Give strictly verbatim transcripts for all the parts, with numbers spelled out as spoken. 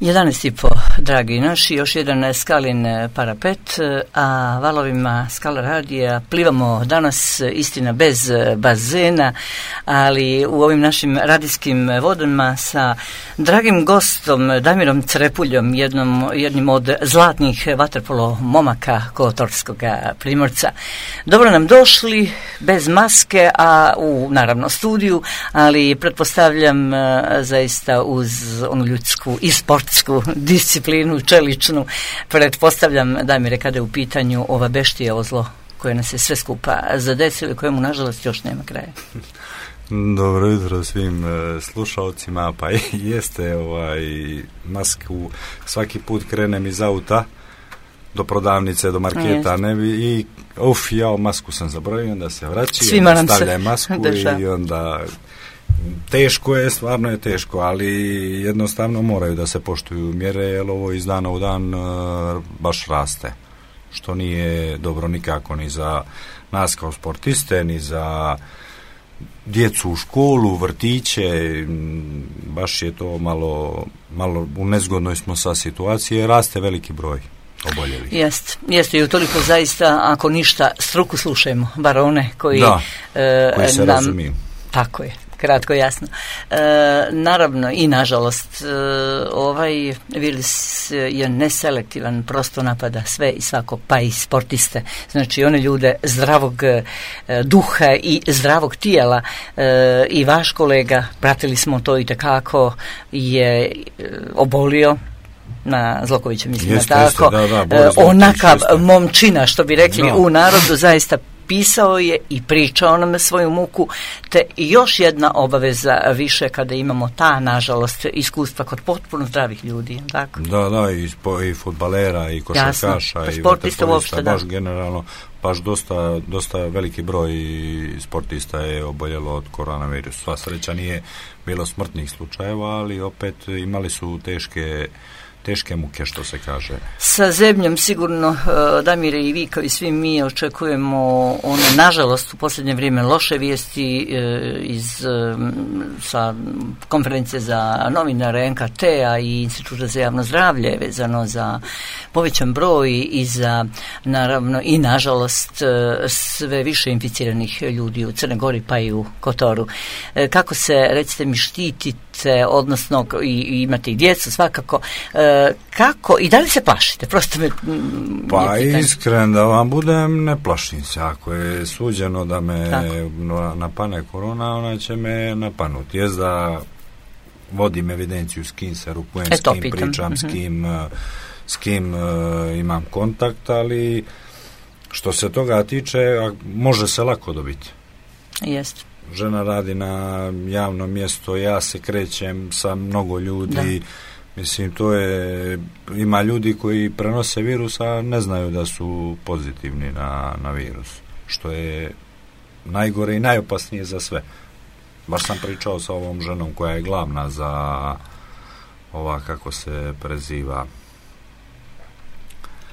jedanaest i po, dragi naši, još jedan Skalin parapet, a valovima Skala radija plivamo danas, istina bez bazena, ali u ovim našim radijskim vodama sa dragim gostom Damirom Crepuljom, jednom, jednim od zlatnih vaterpolo momaka Kotorskog Primorca. Dobro nam došli, bez maske, a u, naravno, studiju, ali pretpostavljam zaista uz onu ljudsku i sportsku disciplinu, čeličnu. Pretpostavljam, Damire, kada je u pitanju ova beštija, ovo zlo koje nas je sve skupa zadesilo, kojemu nažalost još nema kraja. Dobro jutro svim e, slušalcima. Pa jeste, ovaj, masku svaki put krenem iz auta do prodavnice, do marketa, jeste. Ne bi, i uf, ja masku sam zaboravio, onda se vraći, svima nam stavljaj se masku deša. I onda teško je, stvarno je teško, ali jednostavno moraju da se poštuju mjere, jer ovo iz dana u dan uh, baš raste, što nije dobro nikako ni za nas kao sportiste, ni za djecu u školu, vrtiće. Baš je to malo, malo u nezgodnoj smo sa situacije, raste veliki broj oboljelih. Jeste, jeste i utoliko zaista, ako ništa, struku slušajmo, bar one koji, da, e, koji se nam, razumiju. Tako je. Kratko, jasno. E, naravno i nažalost e, ovaj virus je neselektivan, prosto napada sve i svako, pa i sportiste. Znači one ljude zdravog e, duha i zdravog tijela. E, i vaš kolega, pratili smo to i tekako, je e, obolio na Zlokovića, mislim jeste, na tako. Jeste, da, da, onakav momčina, što bi rekli da. U narodu, zaista pisao je i pričao nam svoju muku, te još jedna obaveza više kada imamo ta, nažalost, iskustva kod potpuno zdravih ljudi, tako? Da, da, i, spo, i fudbalera, i košarkaša, i sportista uopšte, da. Baš generalno, baš dosta, dosta veliki broj sportista je oboljelo od koronavirusa. Sva sreća nije bilo smrtnih slučajeva, ali opet imali su teške teške muke, što se kaže. Sa zemljom sigurno, Damire, i vi kao i svi mi očekujemo one, nažalost, u posljednje vrijeme loše vijesti iz sa konferencije za novinare en ka te-a i Instituta za javno zdravlje vezano za povećan broj i za, naravno, i nažalost sve više inficiranih ljudi u Crnoj Gori pa i u Kotoru. Kako se, recite mi, štitite, odnosno i, i imate i djecu svakako, kako i da li se plašite? Prosto me, pa iskren da vam budem, ne plašim se. Ako je suđeno da me Tako. napane korona, ona će me napanuti. Jest da vodim evidenciju s kim se rukujem, e, s kim pitam. pričam, mm-hmm. s kim, s kim uh, imam kontakt, ali što se toga tiče, može se lako dobiti. Jeste. Žena radi na javnom mjestu, ja se krećem sa mnogo ljudi. Da. Mislim, to je, ima ljudi koji prenose virus, a ne znaju da su pozitivni na, na virus, što je najgore i najopasnije za sve. Baš sam pričao sa ovom ženom koja je glavna za ova, kako se preziva,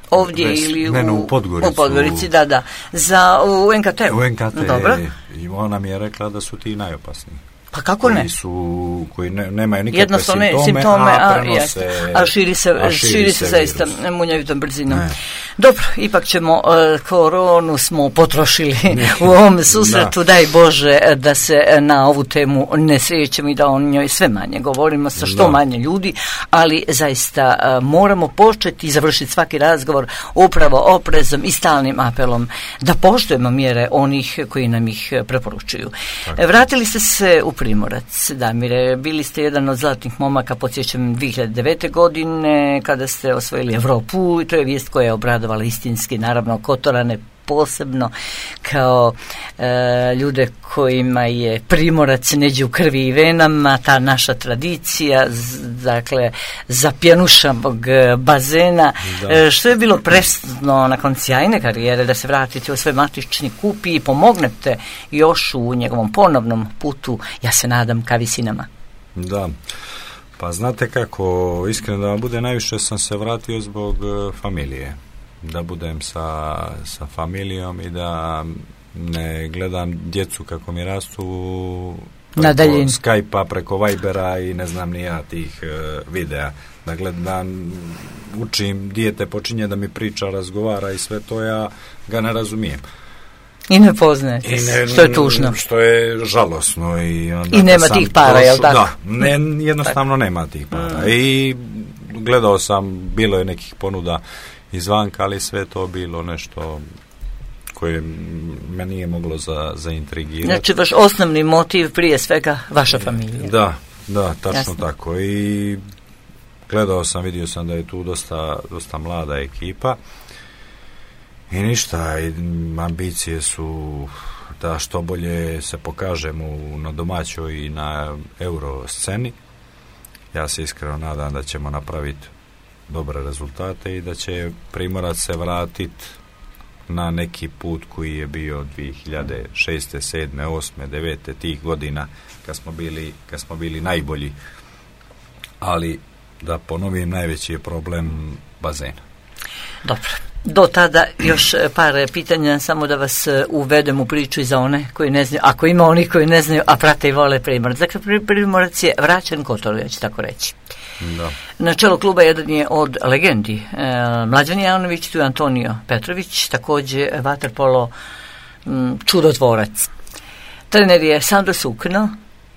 ovdje Ves, ili u, ne, no, u Podgoricu, u Podgorici, da, da, za, u en ka te-u. U en ka te, dobro. I ona mi je rekla da su ti najopasniji. Pa kako ne? Koji su, koji ne, nemaju nikakve jednostavne simptome, simptome, a, a, prenose, a širi se, a širi širi se, se zaista munjavitom brzinom. Ne. Dobro, ipak ćemo, uh, koronu smo potrošili u ovom susretu, da. Daj Bože da se na ovu temu ne srećemo i da o njoj sve manje govorimo sa što da. manje ljudi, ali zaista uh, moramo početi i završiti svaki razgovor upravo oprezom i stalnim apelom da poštujemo mjere onih koji nam ih preporučuju. Tako. Vratili ste se u Primorac, Damire, bili ste jedan od zlatnih momaka, podsjećam, dvije hiljade devete. godine, kada ste osvojili Evropu, i to je vijest koja je obradovala istinski, naravno, Kotorane posebno, kao e, ljude kojima je Primorac neđe u krvi i venama, ta naša tradicija, z, dakle, zapjenušavog bazena, e, što je bilo presudno nakon sjajne karijere da se vratite u svoj matični kup i pomognete još u njegovom ponovnom putu, ja se nadam, ka visinama. Da, pa znate kako, iskreno da vam bude, najviše sam se vratio zbog uh, familije. Da budem sa, sa familijom i da ne gledam djecu kako mi rastu preko Skype-a, preko Vibera i ne znam ni ja tih uh, videa. Dakle, da učim, dijete počinje da mi priča, razgovara i sve to, ja ga ne razumijem. I ne poznajete, što je tužno. Što je žalosno. I, onda I nema tih para, prošlo, jel tako? Da, ne, jednostavno nema tih para. Mm. I gledao sam, bilo je nekih ponuda izvanka, ali sve to bilo nešto koje me nije moglo za, zaintrigirati. Znači, vaš osnovni motiv prije svega vaša familija. Da, da, tačno Jasno. tako. I gledao sam, vidio sam da je tu dosta, dosta mlada ekipa i ništa, i ambicije su da što bolje se pokažemo na domaćoj i na euro sceni. Ja se iskreno nadam da ćemo napraviti dobre rezultate i da će Primorac se vratiti na neki put koji je bio dvije hiljade šeste, sedme, osme, devete tih godina kad smo bili, kad smo bili najbolji. Ali da ponovim, najveći je problem bazen. Dobro. Do tada još par pitanja, samo da vas uvedem u priču i za one koji ne znaju, ako ima oni koji ne znaju, a prate i vole Primorac. Dakle, Primorac je vraćen Kotoru, ja ću tako reći. Da. Na čelu kluba jedan je od legendi e, Mlađan Janović, tu je Antonio Petrović, također vaterpolo m, čudotvorac. Trener je Sandro Sukno,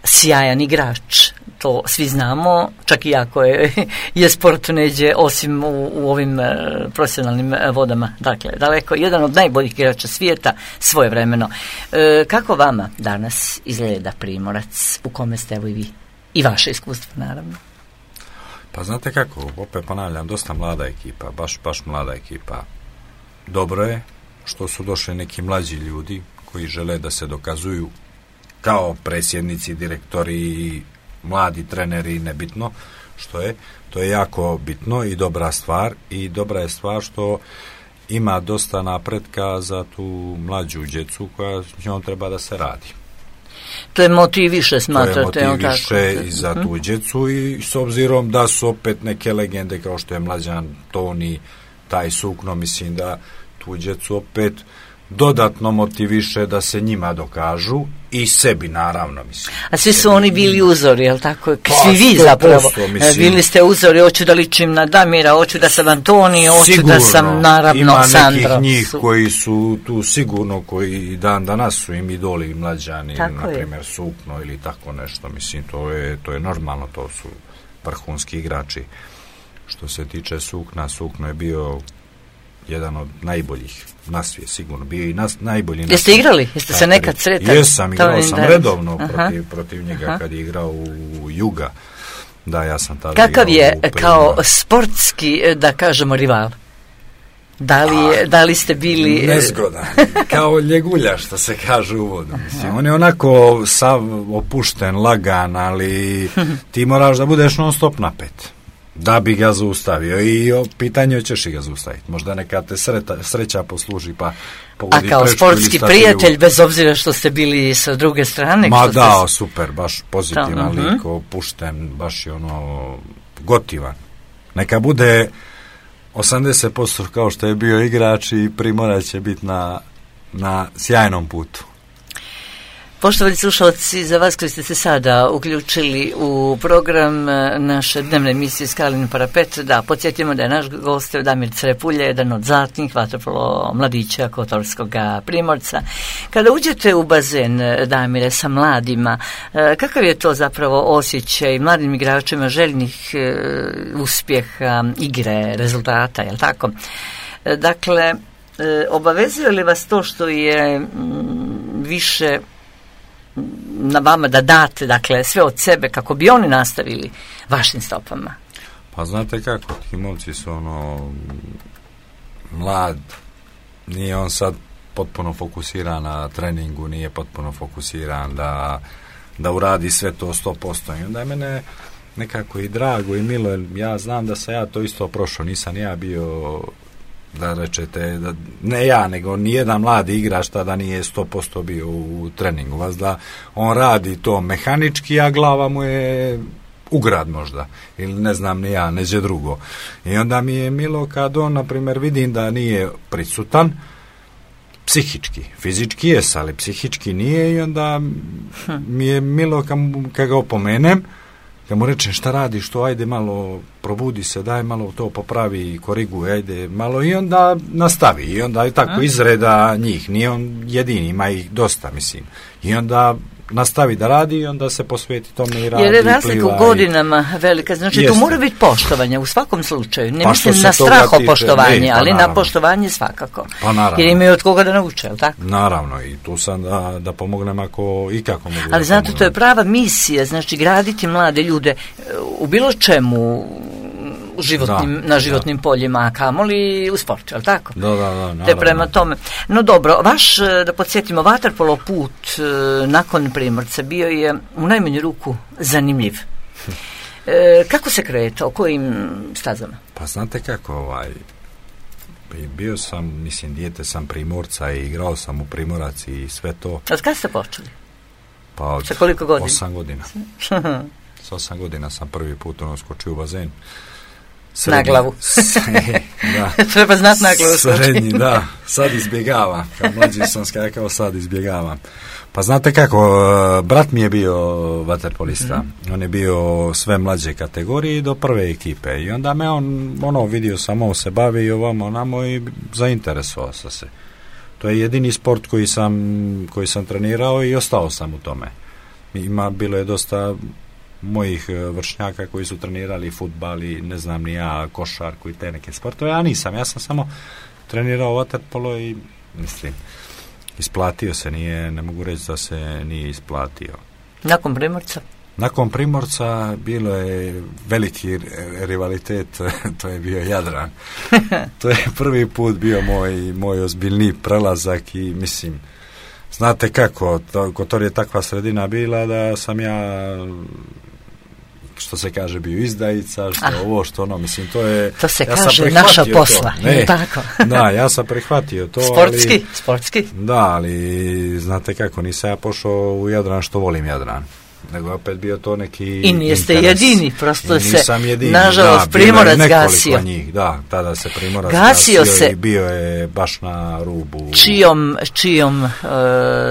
sjajan igrač, to svi znamo, čak i ako je, je sport neđe osim u, u ovim e, profesionalnim vodama. Dakle, daleko, jedan od najboljih igrača svijeta svojevremeno. E, kako vama danas izgleda Primorac, u kome ste evo i vi? I vaše iskustvo, naravno. Pa znate kako, opet ponavljam, dosta mlada ekipa, baš, baš mlada ekipa. Dobro je što su došli neki mlađi ljudi koji žele da se dokazuju kao predsjednici, direktori, mladi treneri, nebitno što je. To je jako bitno i dobra stvar. I dobra je stvar što ima dosta napretka za tu mlađu djecu koja s njom treba da se radi. To je motiv više, smatrate? To je motiv više i za tu djecu i s obzirom da su opet neke legende kao što je Mlađan, Toni, taj Sukno, mislim da tu djecu opet dodatno motiviše da se njima dokažu i sebi, naravno, mislim. A svi su oni bili uzori, jel tako? Pa, svi vi zapravo. Mislim. Bili ste uzori, hoću da ličim na Damira, hoću da sam Antoni, hoću sigurno, da sam, naravno, ima Sandro. Ima nekih njih su. Koji su tu sigurno, koji dan danas su im idoli i Mlađani, na primjer Sukno ili tako nešto, mislim, to je, to je normalno, to su vrhunski igrači. Što se tiče Sukna, Sukno je bio jedan od najboljih na svijet, sigurno bio i nas, najbolji na svijet. Jeste igrali? Jeste se nekad sretali? Jesam, igrao sam redovno protiv, protiv njega. Aha. Kad je igrao u Juga. Da, ja sam tada Kakav je kao sportski, da kažemo, rival? Da li, je, da li ste bili... Nezgodan. Kao ljegulja, što se kaže u vodu. Mislim, on je onako sav opušten, lagan, ali ti moraš da budeš non stop napet da bi ga zaustavio i o pitanje ćeš i ga zaustaviti. Možda neka te sreta, sreća posluži pa pogodi. A kao sportski prijatelj, bez obzira što ste bili sa druge strane? Ma da, ste... super, baš pozitivan uh-huh. lik, opušten, baš je ono gotivan. Neka bude osamdeset posto kao što je bio igrač i Primorac će biti na, na sjajnom putu. Poštovani slušalci, za vas koji ste se sada uključili u program naše dnevne emisije Skalin parapet, da podsjetimo da je naš gost Damir Crepulje, jedan od zlatnih vaterpolo mladića Kotorskog Primorca. Kada uđete u bazen, Damire, sa mladima, kakav je to zapravo osjećaj mladim igračima željnih uspjeha, igre, rezultata, je li tako? Dakle, obavezuje li vas to što je više na vama da date, dakle, sve od sebe kako bi oni nastavili vašim stopama? Pa znate kako, ti momci su ono mlad, nije on sad potpuno fokusiran na treningu, nije potpuno fokusiran da, da uradi sve to sto posto. I onda je mene nekako i drago i milo, jer ja znam da sam ja to isto prošao, nisam ja bio, da rečete, da, ne ja, nego nijedan mladi igrač tada nije sto posto bio u treningu. Vas da on radi to mehanički, a glava mu je ugrad možda, ili ne znam ni ja, neđe drugo. I onda mi je milo kad on, na primjer, vidim da nije prisutan psihički. Fizički jes, ali psihički nije i onda mi je milo kad, kad ga opomenem, kad mu rečem šta radiš, to ajde malo probudi se, daj malo to popravi, koriguj, ajde malo i onda nastavi. I onda je tako izreda njih, nije on jedini, ima ih dosta, mislim. I onda nastavi da radi i onda se posveti tome i radi. Jer je razlika u godinama velika, znači Jeste. Tu mora biti poštovanje u svakom slučaju. Ne pa mislim na strahopoštovanje, tiče, ali pa na poštovanje svakako. Pa naravno. Jer imaju od koga da nauče, jel tako? Naravno, i tu sam da, da pomognem ako i kako mogu. Ali znate, to je prava misija, znači graditi mlade ljude u bilo čemu, u životnim, da, na životnim da. poljima, a kamoli u sportu, jel tako? Da, da, da. Naravno. Te prema tome. No dobro, vaš, da podsjetimo, vaterpolo put nakon Primorca bio je u najmanju ruku zanimljiv. E, kako se kretao, kojim stazama? Pa znate kako, ovaj, bio sam, mislim, dijete sam Primorca i igrao sam u Primorac i sve to. Od kada ste počeli? Pa od sa koliko godina? Osam godina. S osam godina sam prvi put ono skočio u bazen. Srednji, na glavu. Da. Treba znati na glavu. Srednji, da. Sad izbjegavam. Kad mlađi sam skakao, sad izbjegavam. Pa znate kako, brat mi je bio vaterpolista. Mm-hmm. On je bio sve mlađe kategorije do prve ekipe. I onda me on, ono, vidio sam, on se bavi i ovamo, onamo i zainteresovao sam se. To je jedini sport koji sam, koji sam trenirao i ostao sam u tome. Ima, bilo je dosta mojih vršnjaka koji su trenirali fudbal i ne znam ni ja, košarku i te neke sportove, ja nisam, ja sam samo trenirao vaterpolo i mislim, isplatio se, nije, ne mogu reći da se nije isplatio. Nakon Primorca? Nakon Primorca bilo je veliki rivalitet, to je bio Jadran. To je prvi put bio moj, moj ozbiljni prelazak i mislim, znate kako, to, Kotor je takva sredina bila da sam ja, što se kaže, bio izdajica, što ah. ovo, što ono, mislim, to je... To se ja kaže naša posla, ne, tako? Da, ja sam prihvatio to, sportski, ali... Sportski? Da, ali, znate kako, nisam ja pošao u Jadran što volim Jadran, nego opet bio to neki i niste interes. jedini, prosto se, jedini, nažalost, da, Primorac gasio. Njih, da, tada se Primorac gasio, gasio se. I bio je baš na rubu. Čijom, čijom, uh,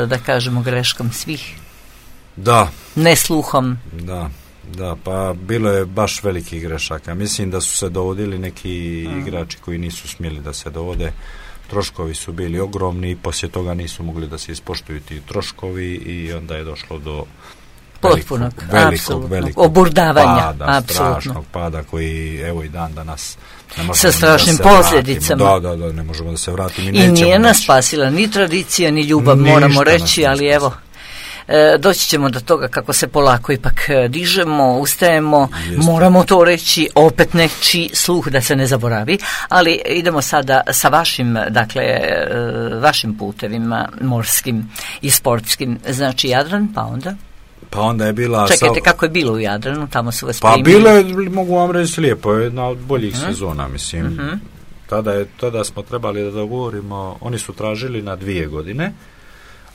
da kažemo, greškom svih? Da. Nesluhom? Da. Da, pa bilo je baš velikih grešaka. Mislim da su se dovodili neki mm. igrači koji nisu smjeli da se dovode. Troškovi su bili ogromni i poslije toga nisu mogli da se ispoštuju ti troškovi i onda je došlo do potpunog, velikog, velikog, velikog oburdavanja, pada, apsolutno. Strašnog pada koji evo i dan danas ne možemo sa strašnim da posljedicama. Da, da, da, ne možemo da se vratimo. I, I nije nas spasila ni tradicija, ni ljubav, ništa moramo reći, ali evo, E, doći ćemo do toga kako se polako ipak dižemo, ustajemo, Jeste. Moramo to reći, opet nečiji sluh da se ne zaboravi, ali idemo sada sa vašim, dakle, e, vašim putevima morskim i sportskim, znači Jadran, pa onda? Pa onda je bila... Čekajte, sa... kako je bilo u Jadranu, tamo su vas pa primili? Pa bilo je, mogu vam reći, lijepo, jedna od boljih uh-huh. sezona, mislim. Uh-huh. Tada, je, tada smo trebali da dogovorimo, oni su tražili na dvije godine,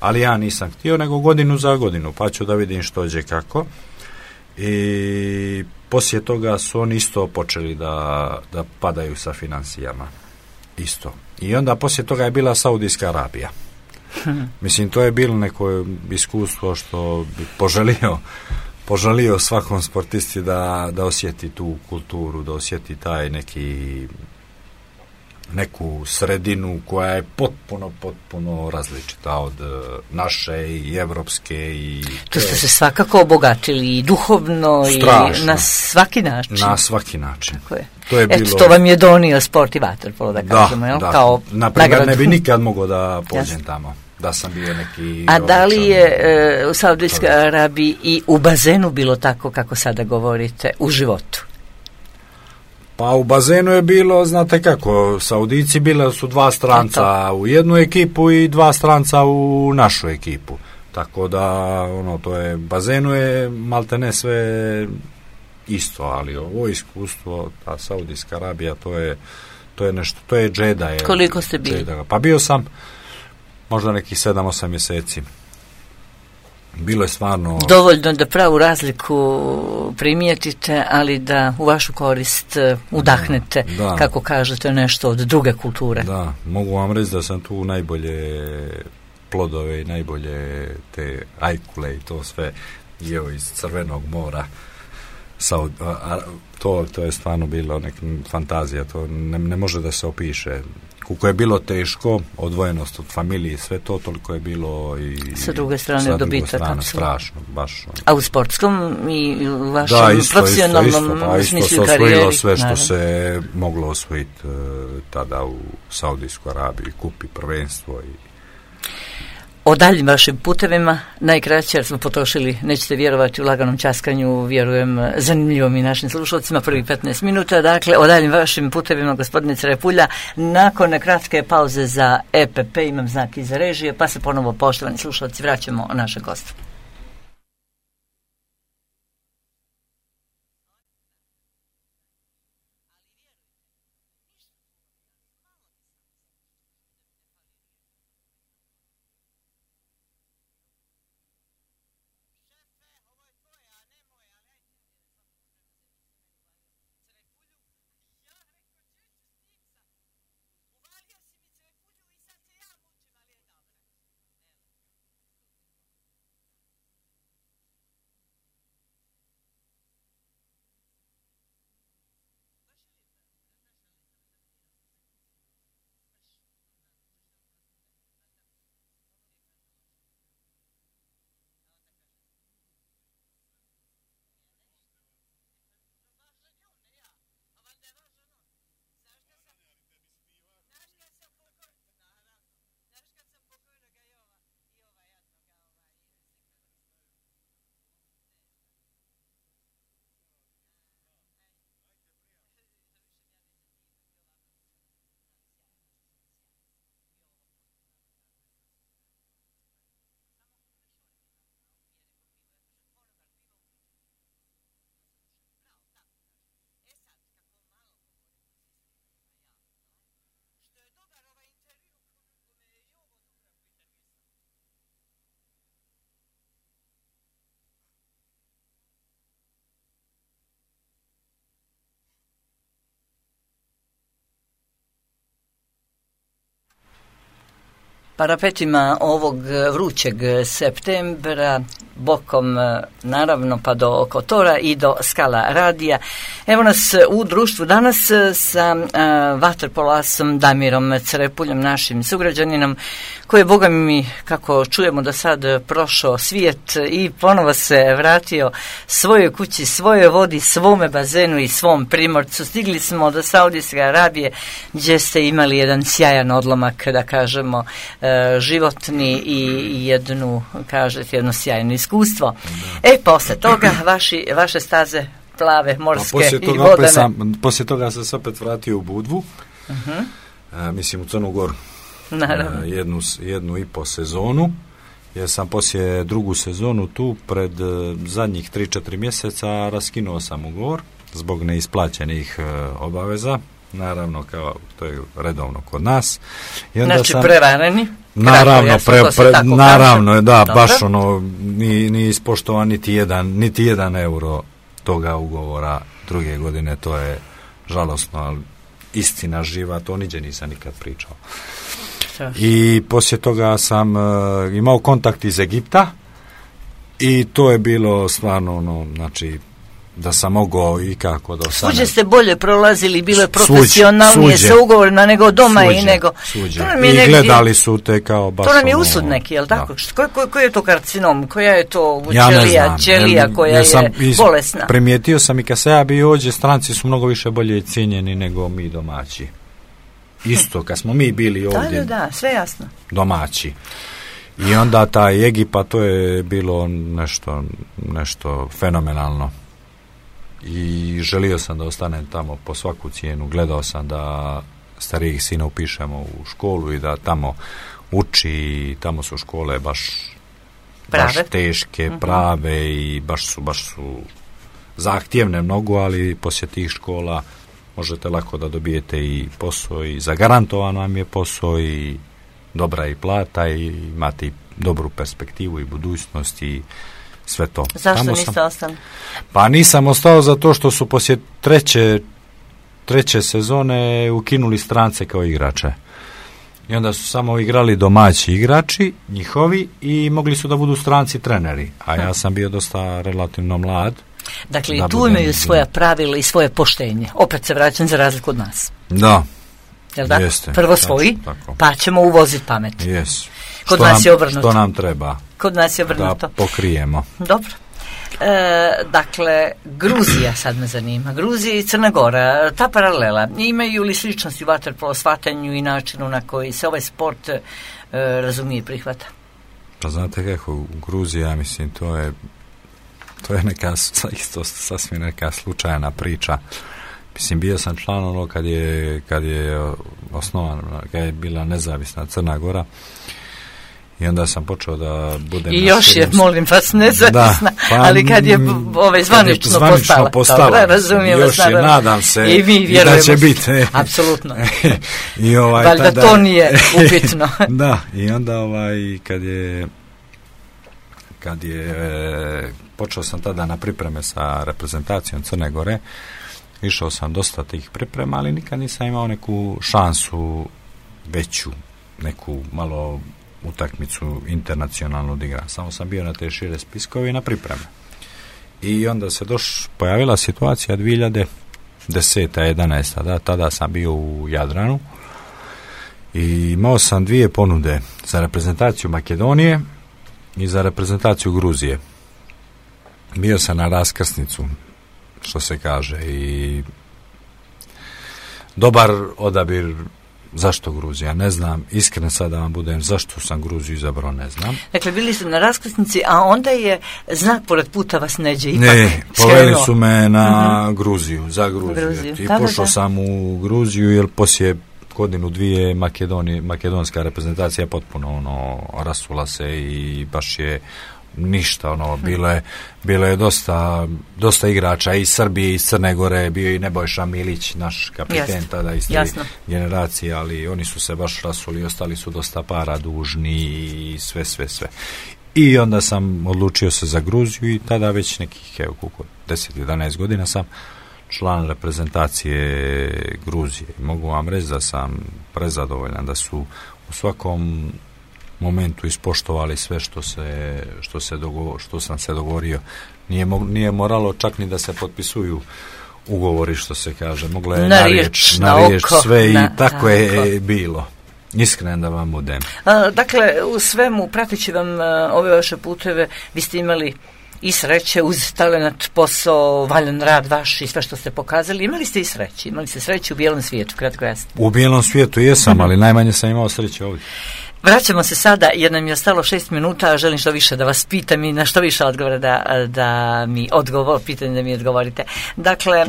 ali ja nisam htio, nego godinu za godinu, pa ću da vidim što će kako. I poslije toga su oni isto počeli da, da padaju sa financijama. Isto. I onda poslije toga je bila Saudijska Arabija. Mislim, to je bilo neko iskustvo što bi poželio, poželio svakom sportisti da, da osjeti tu kulturu, da osjeti taj neki... neku sredinu koja je potpuno, potpuno različita od naše i evropske. I tu ste se svakako obogatili i duhovno strašno. I na svaki način. Na svaki način. Tako je. To je Eto, bilo... to vam je donio sport i vaterpolo, da kažemo, da, jel? Da. Kao naprimjer, ne bi nikad mogao da pođem tamo. Da sam bio neki... A da li je e, u Saudijskoj Arabiji i u bazenu bilo tako kako sada govorite, u životu? Pa u bazenu je bilo, znate kako, Saudici bila su dva stranca u jednu ekipu i dva stranca u našu ekipu. Tako da, ono, to je, bazenu je maltene sve isto, ali ovo iskustvo, ta Saudijska Arabija, to je, to je nešto, to je džeda. Je, koliko ste bili? Džeda. Pa bio sam možda nekih sedam, osam mjeseci. bilo je stvarno... Dovoljno da pravu razliku primijetite, ali da u vašu korist udahnete, da, da. Kako kažete, nešto od druge kulture. Da, mogu vam reći da sam tu najbolje plodove i najbolje te ajkule i to sve jeo iz Crvenog mora. Saud, a, a, to, to je stvarno bilo neka fantazija, to ne, ne može da se opiše. Koliko je bilo teško, odvojenost od familije, sve to, toliko je bilo i sa druge strane dobitak, strašno, baš. A u sportskom i u vašem da, isto, profesionalnom isto, isto, pa, isto smislu se karijeri? sve što naravno se moglo osvojiti uh, tada u Saudijskoj Arabiji, kupi prvenstvo i o daljim vašim putevima, najkraće jer smo potrošili, nećete vjerovati, u laganom časkanju, vjerujem, zanimljivom i našim slušalcima, prvih petnaest minuta. Dakle, o daljim vašim putevima, gospodine Crepulja, nakon kratke pauze za E P P, imam znak iza režije, pa se ponovo, poštovani slušalci, vraćamo našeg gosta. Parapetima ovog vrućeg septembra, bokom naravno pa do Kotora i do Skala radija. Evo nas u društvu danas sa uh, vaterpolasom Damirom Crepuljem, našim sugrađaninom, koji je, boga mi, kako čujemo do sad, prošao svijet i ponovo se vratio svojoj kući, svojoj vodi, svome bazenu i svom primorcu. Stigli smo do Saudijske Arabije, gdje ste imali jedan sjajan odlomak, da kažemo, uh, životni i jednu, kažete, jedno sjajno iskustvo. Da. E, posle toga vaši, vaše staze plave, morske i vodene. Sam, poslije toga sam se opet vratio u Budvu, uh-huh. a, mislim u Crnu Goru, a, jednu, jednu i po sezonu, jer sam poslije drugu sezonu tu pred zadnjih tri četiri mjeseca raskinuo sam ugovor zbog neisplaćenih uh, obaveza, naravno kao to je redovno kod nas. I onda znači sam, prevareni? Naravno, pre, pre, naravno, da, dobro. Baš ono, ni, ni ispoštovan niti jedan, niti jedan euro toga ugovora druge godine, to je žalosno, ali istina živa, to niđe nisam nikad pričao. I poslije toga sam uh, imao kontakt iz Egipta i to je bilo stvarno ono, znači, da sam mogao i kako da ostanem. Suđe ste bolje prolazili, bilo je profesionalnije sa ugovorima nego doma suđe, i nego... Suđe. I negdje, gledali su te kao baš... To nam je ono, usud neki, jel tako? Koji ko, ko je to karcinom? Koja je to ćelija, ja ćelija koja ja sam, je bolesna? Primijetio sam i kad se ja bio ovdje, stranci su mnogo više bolje cijenjeni nego mi domaći. Isto, kad smo mi bili ovdje... Da, da, da, sve jasno. Domaći. I onda taj Egipat, to je bilo nešto, nešto fenomenalno. I želio sam da ostanem tamo po svaku cijenu. Gledao sam da starijih sina upišemo u školu i da tamo uči i tamo su škole baš, baš teške, uh-huh. prave i baš su, baš su zahtjevne mnogo, ali poslije tih škola možete lako da dobijete i posao i zagarantovan vam je posao i dobra i plata i imate i dobru perspektivu i budućnost i sve to. Zašto Tamo niste sam, ostali? Pa nisam ostao zato što su poslije treće, treće sezone ukinuli strance kao igrače. I onda su samo igrali domaći igrači, njihovi, i mogli su da budu stranci treneri. A ja sam bio dosta relativno mlad. Dakle, i tu imaju svoja pravila i svoje poštenje. Opet se vraćam za razliku od nas. Da. Jel da? Jeste. Prvo svoji, tako. Pa ćemo uvoziti pamet. Yes. Kod što nas nam, je obrnuto. Što nam treba. Kod nas je obrnuto. Da pokrijemo. Dobro. E, dakle, Gruzija sad me zanima. Gruzija i Crna Gora, ta paralela, imaju li sličnosti u vaterpolo shvatanju i načinu na koji se ovaj sport e, razumije i prihvata? Pa znate kako, u Gruziji, ja mislim, to je to je neka isto sasvim neka slučajna priča. Mislim, bio sam član ono kad je, kad je osnovan, kad je bila nezavisna Crna Gora, i onda sam počeo da budem... I još je, molim vas, nezavisna, pa, ali kad je ovaj zvanično, je zvanično postala. postala. Dobro, razumijem još vas, je, nadam se, i, mi i da će biti. Apsolutno. I ovaj, valjda tada, to nije upitno. Da, i onda ovaj, kad je kad je počeo sam tada na pripreme sa reprezentacijom Crne Gore, išao sam dosta tih priprema, ali nikad nisam imao neku šansu veću, neku malo utakmicu internacionalnu da igram. Samo sam bio na te šire spiskove i na pripreme. I onda se doš, pojavila situacija dvije hiljade deseta jedanaesta Da, tada sam bio u Jadranu i imao sam dvije ponude za reprezentaciju Makedonije i za reprezentaciju Gruzije. Bio sam na raskrsnicu, što se kaže, i dobar odabir. Zašto Gruzija? Ne znam. Iskreno sad da vam budem, zašto sam Gruziju izabrao, ne znam. Dakle, bili su na raskrsnici, a onda je znak pored puta vas neđe ipak. Ne, poveli su me na uh-huh. Gruziju, za Gruziju. Gruziju. I da, pošao da. sam u Gruziju, jer poslije godinu dvije Makedonije, makedonska reprezentacija potpuno ono rasula se i baš je ništa, ono, bilo je, bilo je dosta, dosta igrača iz Srbije, iz Crne Gore, bio i Nebojša Milić, naš kapiten tada iz te generacije, ali oni su se baš rasuli, ostali su dosta para dužni i sve, sve, sve. I onda sam odlučio se za Gruziju i tada već nekih, evo, koliko, deset jedanaest godina sam član reprezentacije Gruzije. Mogu vam reći da sam prezadovoljan, da su u svakom momentu ispoštovali sve što se što se dogo, što sam se dogovorio. Nije mo, nije moralo čak ni da se potpisuju ugovori, što se kaže. Moglo je na, na riječ, na, na riječ oko, sve na, i tako, tako je bilo. Iskreno da vam budem. A, dakle, u svemu, pratići vam a, ove vaše puteve, vi ste imali i sreće uz talenat, posao, valjan rad vaš i sve što ste pokazali. Imali ste i sreće. Imali ste sreće u bijelom svijetu, kratko jasno. U bijelom svijetu jesam, ali najmanje sam imao sreće ovdje. Vraćamo se sada, jer nam je ostalo šest minuta, a želim što više da vas pitam i na što više odgovora da, da mi odgovor, pitanje da mi odgovorite. Dakle,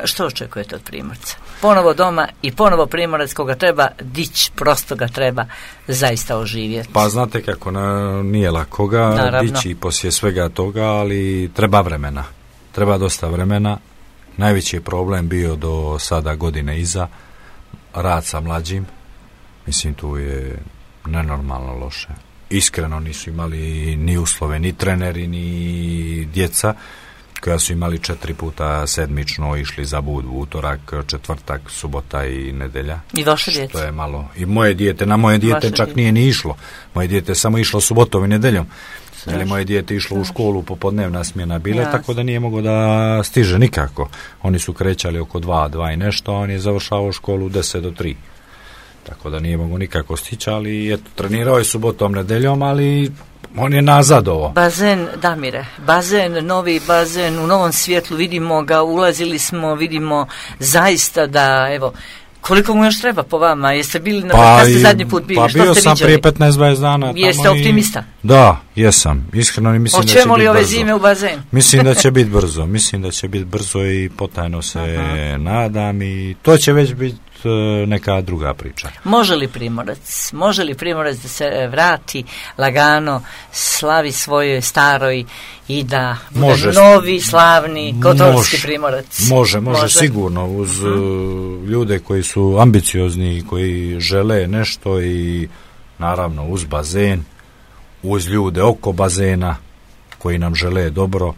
što očekujete od Primorca? Ponovo doma i ponovo Primorac, koga treba dići, prosto ga treba zaista oživjeti. Pa znate kako, na, nije lako ga dići poslije svega toga, ali treba vremena. Treba dosta vremena. Najveći je problem bio do sada godine iza, rad sa mlađim. Mislim, tu je nenormalno loše. Iskreno nisu imali ni uslove, ni treneri, ni djeca, koja su imali četiri puta sedmično, išli za bud, utorak, četvrtak, subota i nedelja. I vaše djece? To je malo. I moje dijete, na moje dijete vaše čak djece. Nije ni išlo. Moje dijete samo išlo subotom i nedeljom. Ili moje dijete išlo u školu, popodnevna smjena bile, ja. Tako da nije mogao da stiže nikako. Oni su krećali oko dva, dva i nešto, a on je završavao školu deset do tri. Tako da nije mogu nikako stići, ali eto, trenirao je subotom, nedeljom, ali on je nazadovo. Bazen, Damire, bazen, novi bazen, u novom svjetlu vidimo ga, ulazili smo, vidimo zaista da, evo, koliko mu još treba po vama? Jeste bili, na pa, ste zadnji put bili? Pa što bio ste sam viđali? Prije petnaest dvadeset dana. Jeste optimista? I, da, jesam. Iskreno mislim da će biti brzo. Hoćemo li ove zime u bazen? Mislim da će biti brzo. Mislim da će biti brzo i potajno se uh-huh. nadam i to će već biti neka druga priča. Može li Primorac, može li Primorac da se vrati lagano, slavi svojoj staroj i da bude može, novi, slavni, kotorski Primorac? Može, može, može, sigurno, uz uh, ljude koji su ambiciozni, koji žele nešto i naravno uz bazen, uz ljude oko bazena koji nam žele dobro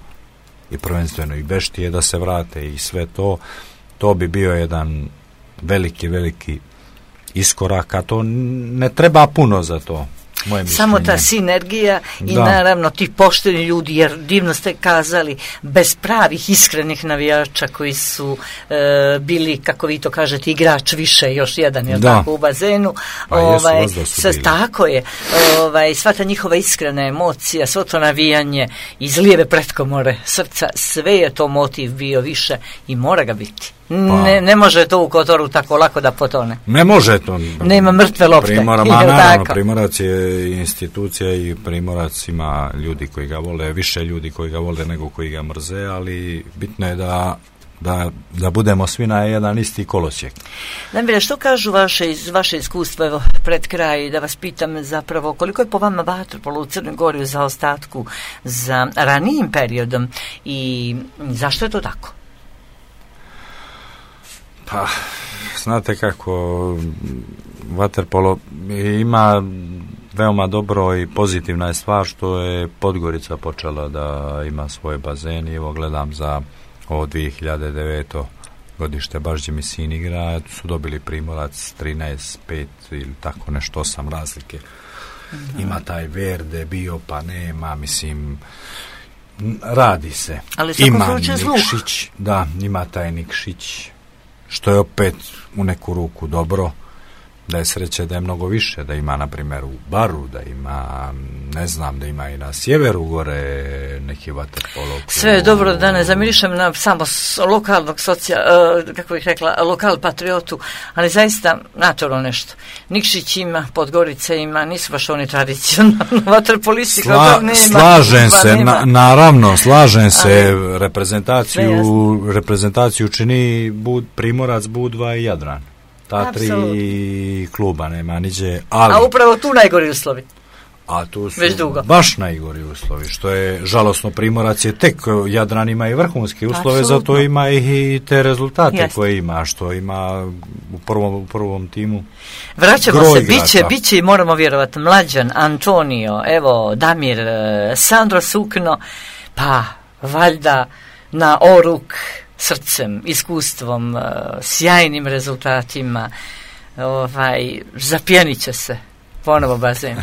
i prvenstveno i beštije da se vrate i sve to, to bi bio jedan veliki, veliki iskorak, a to ne treba puno za to. Samo ta sinergija i da. Naravno ti pošteni ljudi, jer divno ste kazali, bez pravih iskrenih navijača koji su e, bili, kako vi to kažete, igrač više, još jedan je tako u bazenu, pa ovaj, jesu, sve, tako je, ovaj, sva ta njihova iskrena emocija, svo to navijanje iz lijeve pretkomore srca, sve je to motiv bio više i mora ga biti. Pa, ne, ne može to u Kotoru tako lako da potone. Ne može to. Nema mrtve lopte. Primora, ma, naravno, Primorac je institucija i Primorac ima ljudi koji ga vole, više ljudi koji ga vole nego koji ga mrze, ali bitno je da, da, da budemo svi na jedan isti kolosijek. Damire, što kažu vaše, iz vaše iskustva, evo, pred kraj, da vas pitam zapravo, koliko je po vama vaterpolo u Crnoj Gori u zaostatku za ranijim periodom i zašto je to tako? Pa, znate kako, vaterpolo ima veoma dobro i pozitivna je stvar što je Podgorica počela da ima svoje bazen i evo gledam za ovo dvije hiljade devete godište, baš gdje mi sin igra, su dobili Primorac trinaest pet ili tako nešto, osam razlike. Mm-hmm. Ima taj Verde bio, pa nema, mislim, radi se. Ali ima Nikšić, da, ima taj Nikšić, što je opet u neku ruku dobro, da je sreće da je mnogo više, da ima na primjer u Baru, da ima, ne znam, da ima i na sjeveru gore neki vaterpolo. Sve je dobro, da ne zamirišem na samo lokalnog socija, uh, kako bih rekla, lokal patriotu, ali zaista naturalno nešto. Nikšić ima, Podgorica ima, nisu baš oni tradicionalno vaterpolisti. Sla, nema, slažem se, na, naravno, slažem se, ali, reprezentaciju, reprezentaciju čini Bud, Primorac, Budva i Jadran. Ta tri Absolutno. Kluba nema niđe, ali... A upravo tu najgori uslovi. A tu su baš najgori uslovi, što je žalosno. Primorac je tek, Jadran ima i vrhunske uslove, Absolutno. Zato ima i te rezultate Jasne. Koje ima, što ima u prvom, u prvom timu. Vraćamo se, biće, biće i moramo vjerovati, Mlađan, Antonio, evo, Damir, Sandro Sukno, pa valjda na oruk srcem, iskustvom, sjajnim rezultatima, ovaj, zapjenit će se ponovo bazen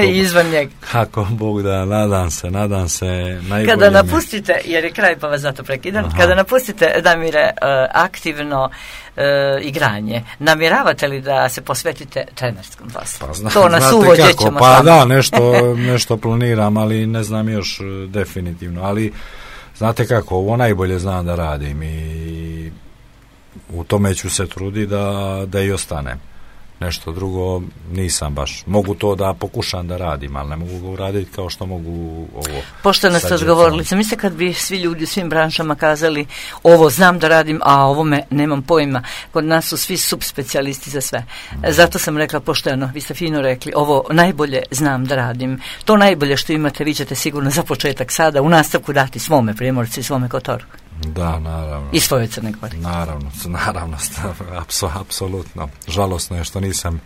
i izvan njega. Kako Bog da, nadam se, nadam se najbolje. Kada napustite, jer je kraj pa vas zato prekidam, Aha. kada napustite, Damire, aktivno uh, igranje, namjeravate li da se posvetite trenerskom poslu? Pa zna, to nas uvođe ćemo. Pa da, nešto, nešto planiram, ali ne znam još definitivno, ali znate kako, ovo najbolje znam da radim i u tome ću se truditi da, da i ostanem. Nešto drugo nisam baš. Mogu to da pokušam da radim, ali ne mogu ga uraditi kao što mogu ovo. Pošteno ste odgovorili. Sam mislite kad bi svi ljudi u svim branšama kazali ovo znam da radim, a ovome nemam pojma. Kod nas su svi subspecijalisti za sve. Mm. Zato sam rekla pošteno, vi ste fino rekli, ovo najbolje znam da radim. To najbolje što imate vi ćete sigurno za početak sada u nastavku dati svome Primorci i svome Kotoru. Da, naravno. I svoje Crne Gore. Naravno, naravno, apsolutno. Žalosno je što nisam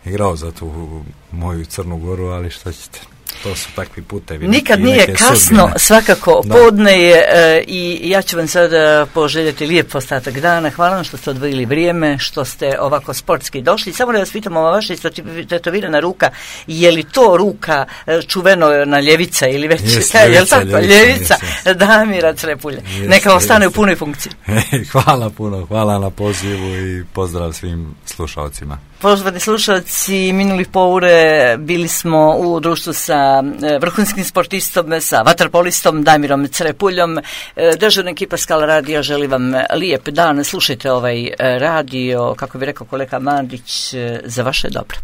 igrao za tu moju Crnu Goru, ali šta ćete? To su takvi putevi. Nikad nije kasno, sudbine. Svakako, da. Podne je e, i ja ću vam sada poželjeti lijep ostatak dana. Hvala vam što ste odvojili vrijeme, što ste ovako sportski došli. Samo da vas pitam, ova vaša tetovirana ruka, je li to ruka čuveno na ljevica ili već, jest, je ljevica, li tako, ljevica, ljevica Damira Crepulja. Jest, Neka ostane jest. U punoj funkciji. Hvala puno, hvala na pozivu i pozdrav svim slušalcima. Poštovani slušalci, minuli poure bili smo u društvu sa vrhunskim sportistom, sa vaterpolistom Damirom Crepuljom. Dežurna ekipa Skala radija želi vam lijep dan. Slušajte ovaj radio, kako bi rekao kolega Mandić, za vaše dobro.